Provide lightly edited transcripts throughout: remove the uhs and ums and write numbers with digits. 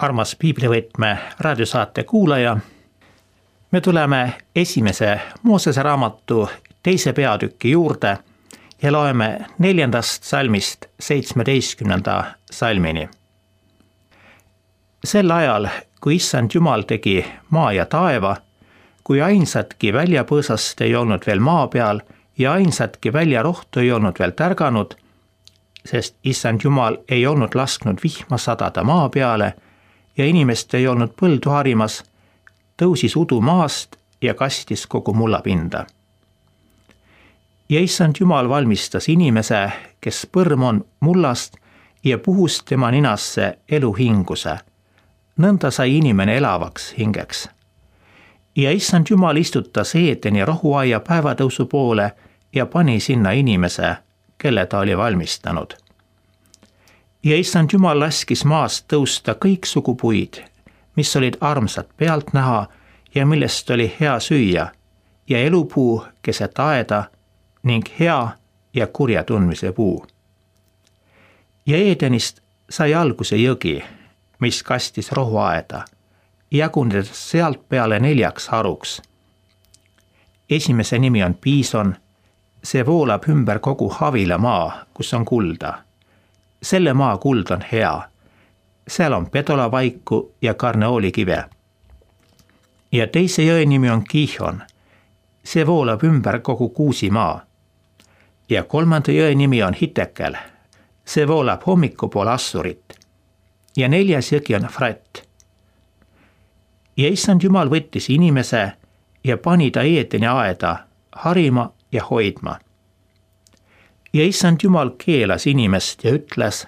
armas Piiblivõtme raadiosaate kuulaja. Me tuleme esimese Moosese raamatu 2. peatüki juurde ja loeme 4. salmist 17. salmini. Sel ajal, kui Issand Jumal tegi maa ja taeva, kui ainsatki väljapõõsast ei olnud veel maa peal ja ainsatki väljarohtu ei olnud veel tärganud, sest Issand Jumal ei olnud lasknud vihma sadada maa peale ja inimest ei olnud põldu harimas, tõusis udu maast ja kastis kogu mullapinda. Ja Issand Jumal valmistas inimese, kes põrm on mullast ja puhus tema ninasse eluhinguse. Nõnda sai inimene elavaks hingeks. Ja Issand Jumal istutas Eedeni rohuaia päevatõusu poole ja pani sinna inimese, kelle ta oli valmistanud. Ja Issand Jumal laskis maast tõusta kõiksugu puid, mis olid armsad pealt näha ja millest oli hea süüa, ja elupuu keset aeda ning hea ja kurja tundmise puu. Ja Eedenist sai alguse jõgi, mis kastis rohuaeda, jagunedes sealt peale 4 haruks. Esimese nimi on Piison, see voolab ümber kogu Havila maa, kus on kulda. Selle maa kuld on hea. Seal on pedolavaiku ja karneoolikive. Ja teise jõe nimi on Gihon. See voolab ümber kogu Kuusimaa. Ja 3. jõe nimi on Hitekel. See voolab hommikupool Assurit. Ja 4. jõgi on Frat. Ja Issand Jumal võttis inimese ja pani ta Eedeni aeda harima ja hoidma. Ja Issand Jumal keelas inimest ja ütles,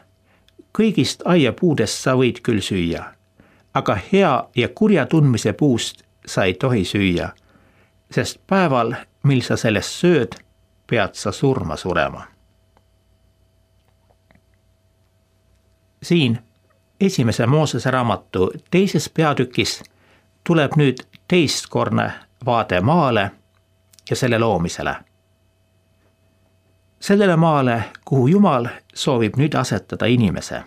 kõigist aiapuudest sa võid küll süüa, aga hea ja kurja tundmise puust sa ei tohi süüa, sest päeval, mil sa sellest sööd, pead sa surma surema. Siin esimese Moosese raamatu 2. peatükis tuleb nüüd teistkordne vaade maale ja selle loomisele. Sellele maale, kuhu Jumal soovib nüüd asetada inimese.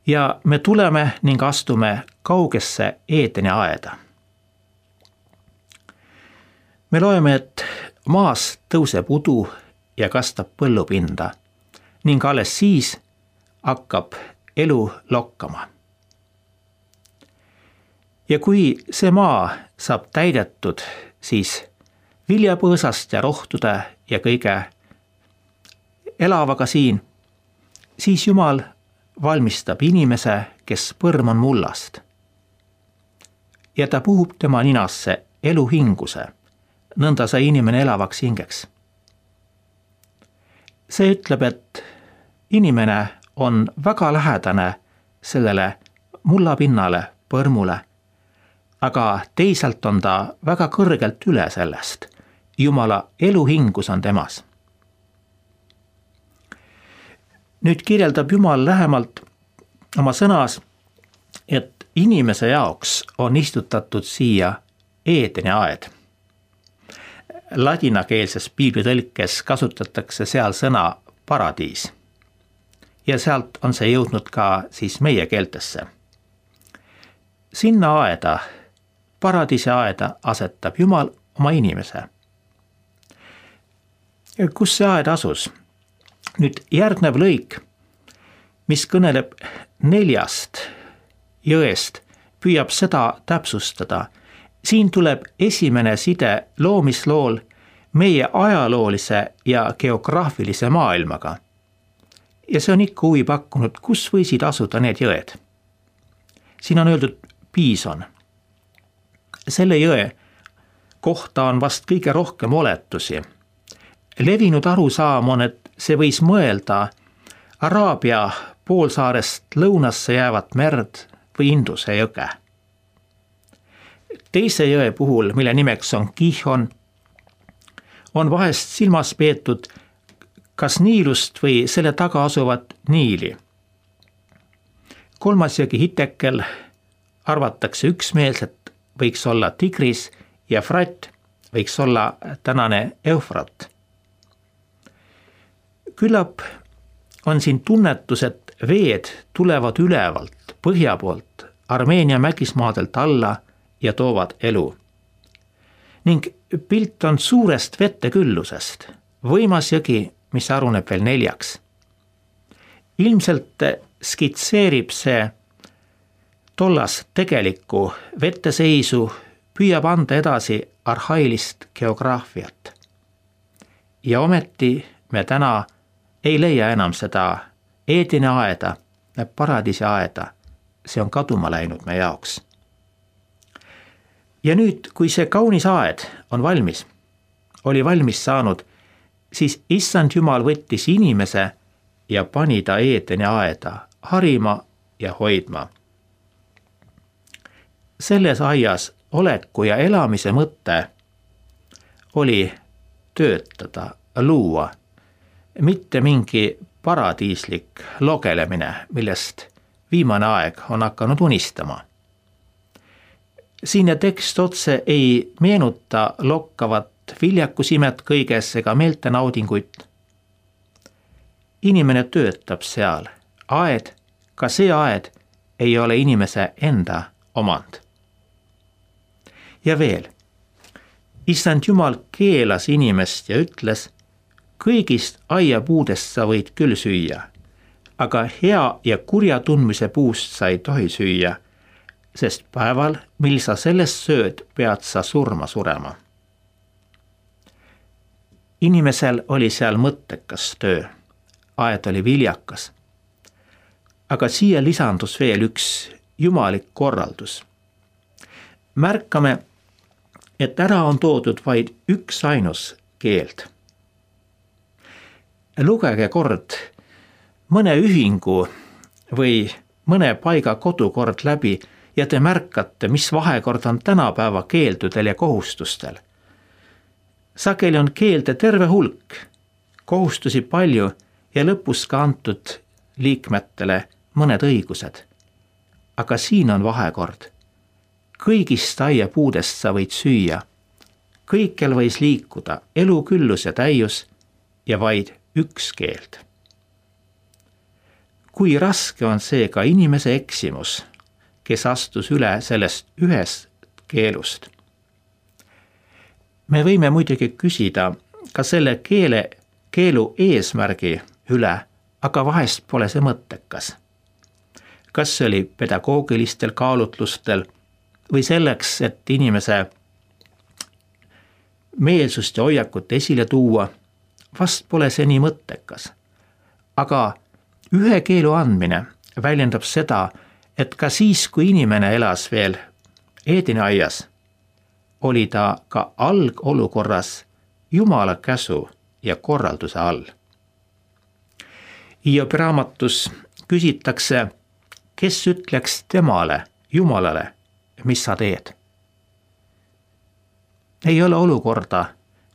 Ja me tuleme ning astume kaugesse Eedeni aeda. Me loeme, et maas tõuseb udu ja kastab põllupinda ning alles siis hakkab elu lokkama. Ja kui see maa saab täidetud, siis viljapõõsast ja rohtude ja kõige elavaga siin, siis Jumal valmistab inimese, kes põrm on mullast. Ja ta puhub tema ninasse eluhinguse, nõnda sai inimene elavaks hingeks. See ütleb, et inimene on väga lähedane sellele mullapinnale, põrmule, aga teisalt on ta väga kõrgelt üle sellest. Jumala eluhingus on temas. Nüüd kirjeldab Jumal lähemalt oma sõnas, et inimese jaoks on istutatud siia Eedeni aed. Ladinakeelses piiblitõlkes kasutatakse seal sõna paradiis. Ja sealt on see jõudnud ka siis meie keeltesse. Sinna aeda, paradiisi aeda asetab Jumal oma inimese. Kus see aed asus? Nüüd järgnev lõik, mis kõneleb 4 jõest, püüab seda täpsustada. Siin tuleb esimene side loomislool meie ajaloolise ja geograafilise maailmaga. Ja see on ikka huvi pakkunud, kus võisid asuda need jõed. Siin on öeldud Piison. Selle jõe kohta on vast kõige rohkem oletusi. Levinud arusaam on, et see võis mõelda Araabia poolsaarest lõunasse jäävat merd või Induse jõge. Teise jõe puhul, mille nimeks on Gihon, on vahest silmas peetud kas Niilust või selle taga asuvat Niili. 3. jõgi Hitekel arvatakse üksmeelselt võiks olla Tigris ja Frat võiks olla tänane Eufrat. Küllap on siin tunnetus, et veed tulevad ülevalt, põhja poolt, Armeenia mägismaadelt alla ja toovad elu. Ning pilt on suurest vetteküllusest, võimas jõgi, mis haruneb veel 4. Ilmselt skitseerib see tollas tegelikku vetteseisu, püüab anda edasi arhailist geograafiat. Ja ometi me täna ei leia enam seda Eedeni aeda, paradiisi aeda, see on kaduma läinud me jaoks. Ja nüüd, kui see kaunis aed on valmis, oli valmis saanud, siis Issand Jumal võttis inimese ja pani ta Eedeni aeda harima ja hoidma. Selles aias oleku ja elamise mõte oli töötada, luua, mitte mingi paradiislik logelemine, millest viimane aeg on hakanud unistama. Siinne tekst otse ei meenuta lokkavat viljakusimet kõiges ega meeltenaudinguid. Inimene töötab seal. Aed, ka see aed, ei ole inimese enda omand. Ja veel, Issand Jumal keelas inimest ja ütles, kõigist aiapuudest sa võid küll süüa, aga hea ja kurja tundmise puust sa ei tohi süüa, sest päeval, mil sa sellest sööd, pead sa surema. Inimesel oli seal mõttekas töö, aed oli viljakas. Aga siia lisandus veel üks jumalik korraldus. Märkame, et ära on toodud vaid üks ainus keeld. Lugege kord mõne ühingu või mõne paiga kodukord läbi ja te märkate, mis vahekord on tänapäeva keeldudel ja kohustustel. Sageli on keelde terve hulk, kohustusi palju ja lõpus ka antud liikmetele mõned õigused. Aga siin on vahekord. Kõigist aiapuudest sa võid süüa. Kõikjal võis liikuda elu küllus ja täius ja vaid üks keeld. Kui raske on see ka inimese eksimus, kes astus üle sellest ühest keelust. Me võime muidugi küsida ka selle keelu eesmärgi üle, aga vahest pole see mõttekas. Kas see oli pedagoogilistel kaalutlustel või selleks, et inimese meelsust ja hoiakut esile tuua, vast pole see nii mõttekas. Aga ühe keelu andmine väljendab seda, et ka siis, kui inimene elas veel Eedeni aias, oli ta ka algolukorras Jumala käsu ja korralduse all. Hiobi raamatus küsitakse, kes ütleks temale, Jumalale, mis sa teed. Ei ole olukorda,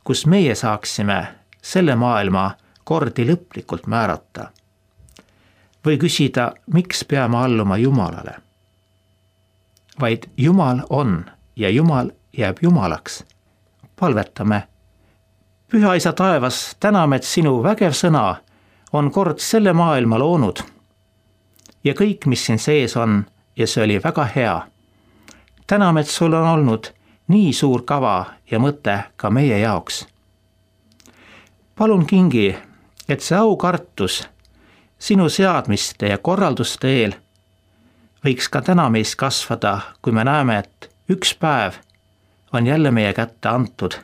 kus meie saaksime selle maailma kordi lõplikult määrata. Või küsida, miks peame alluma Jumalale. Vaid Jumal on ja Jumal jääb Jumalaks. Palvetame. Püha Isa taevas, täname, et sinu vägev sõna on kord selle maailma loonud. Ja kõik, mis siin sees on, ja see oli väga hea. Täname, et sul on olnud nii suur kava ja mõte ka meie jaoks. Palun kingi, et see aukartus sinu seadmiste ja korralduste eel võiks ka täna meis kasvada, kui me näeme, et üks päev on jälle meie kätte antud.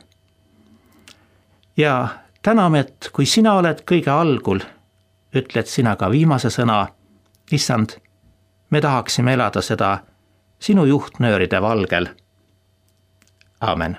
Ja täname, et kui sina oled kõige algul, ütled sina ka viimase sõna, Issand, me tahaksime elada seda sinu juhtnööride valgel. Aamen.